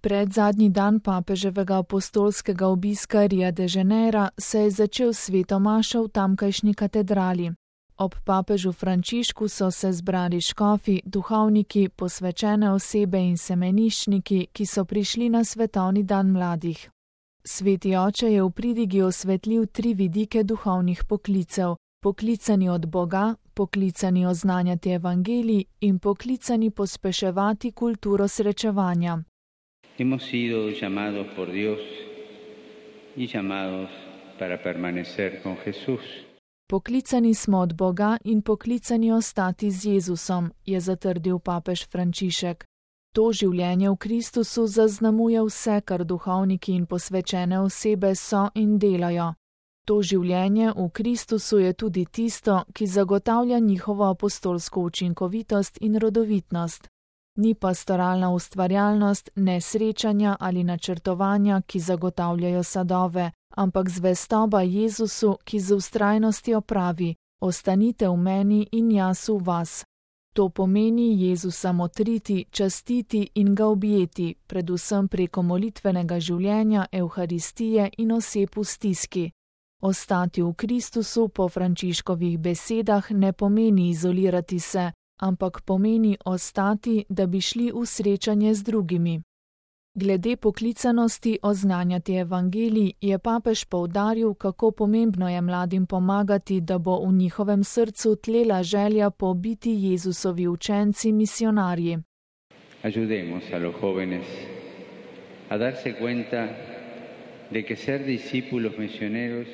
Predzadnji dan papeževega apostolskega obiska Ria de Janeira se je začel sveto maša v tamkajšnji katedrali. Ob papežu Frančišku so se zbrali škofi, duhovniki, posvečene osebe in semeniščniki, ki so prišli na svetovni dan mladih. Sveti oče je v pridigi osvetlil 3 vidike duhovnih poklicev: poklicani od Boga, poklicani oznanjati evangelij in poklicani pospeševati kulturo srečevanja. Hemos sido llamados por Dios y llamados para permanecer con Jesús. Poklicani smo od Boga in poklicani ostati z Jezusom, je zatrdil papež Frančišek. To življenje v Kristusu zaznamuje vse, kar duhovniki in posvečene osebe so in delajo. To življenje v Kristusu je tudi tisto, ki zagotavlja njihovo apostolsko učinkovitost in rodovitnost. Ni pastoralna ustvarjalnost, ne srečanja ali načrtovanja, ki zagotavljajo sadove, ampak zvestoba Jezusu, ki z vztrajnostjo pravi: ostanite v meni in jaz v vas. To pomeni Jezusa motriti, častiti in ga objeti, predvsem preko molitvenega življenja, evharistije in oseb v stiski. Ostati v Kristusu po Frančiškovih besedah ne pomeni izolirati se, ampak pomeni ostati, da bi šli v srečanje z drugimi. Glede poklicanosti oznanjati evangelij je papež poudaril, kako pomembno je mladim pomagati, da bo v njihovem srcu tlela želja po biti Jezusovi učenci misionarji. Ayudemos a los jóvenes a darse cuenta de que ser discípulos misioneros.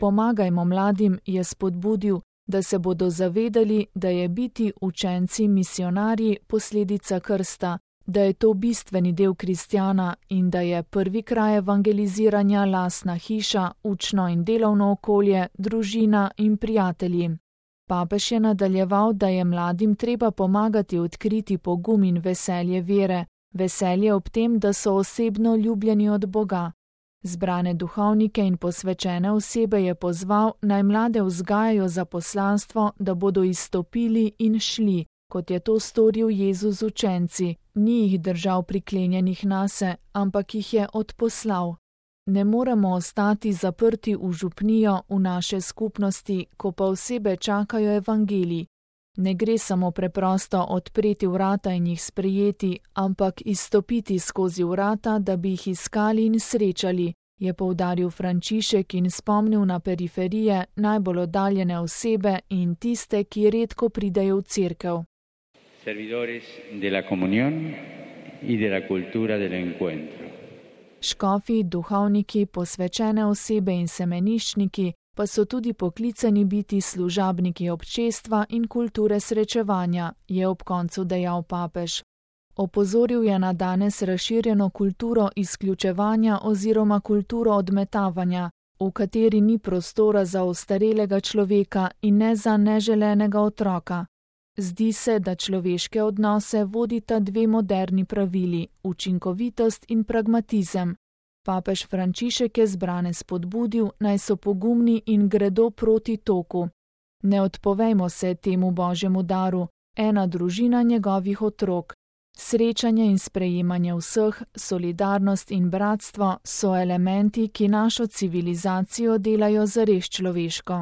Pomagajmo mladim, je spodbudil, da se bodo zavedali, da je biti učenci misionarji posledica krsta, da je to bistveni del kristjana in da je prvi kraj evangeliziranja lastna hiša, učno in delovno okolje, družina in prijatelji. Papež je nadaljeval, da je mladim treba pomagati odkriti pogum in veselje vere, veselje ob tem, da so osebno ljubljeni od Boga. Zbrane duhovnike in posvečene osebe je pozval, naj mlade vzgajajo za poslanstvo, da bodo izstopili in šli, kot je to storil Jezus z učenci. Ni jih držal priklenjenih nase, ampak jih je odposlal. Ne moremo ostati zaprti v župnijo, v naše skupnosti, ko pa osebe čakajo evangelij. Ne gre samo preprosto odpreti vrata in jih sprejeti, ampak izstopiti skozi vrata, da bi jih iskali in srečali, je poudaril Frančišek in spomnil na periferije, najbolj oddaljene osebe in tiste, ki redko pridejo v cerkev. Servidores de la comunión y de la cultura del encuentro. Škofi, duhovniki, posvečene osebe in semeniščniki pa so tudi poklicani biti služabniki občestva in kulture srečevanja, je ob koncu dejal papež. Opozoril je na danes razširjeno kulturo izključevanja oziroma kulturo odmetavanja, v kateri ni prostora za ostarelega človeka in ne za neželenega otroka. Zdi se, da človeške odnose vodita 2 moderni pravili: učinkovitost in pragmatizem. Papež Frančišek je zbrane spodbudil, naj so pogumni in gredo proti toku. Ne odpovejmo se temu Božjemu daru, ena družina njegovih otrok. Srečanje in sprejemanje vseh, solidarnost in bratstvo so elementi, ki našo civilizacijo delajo zares človeško.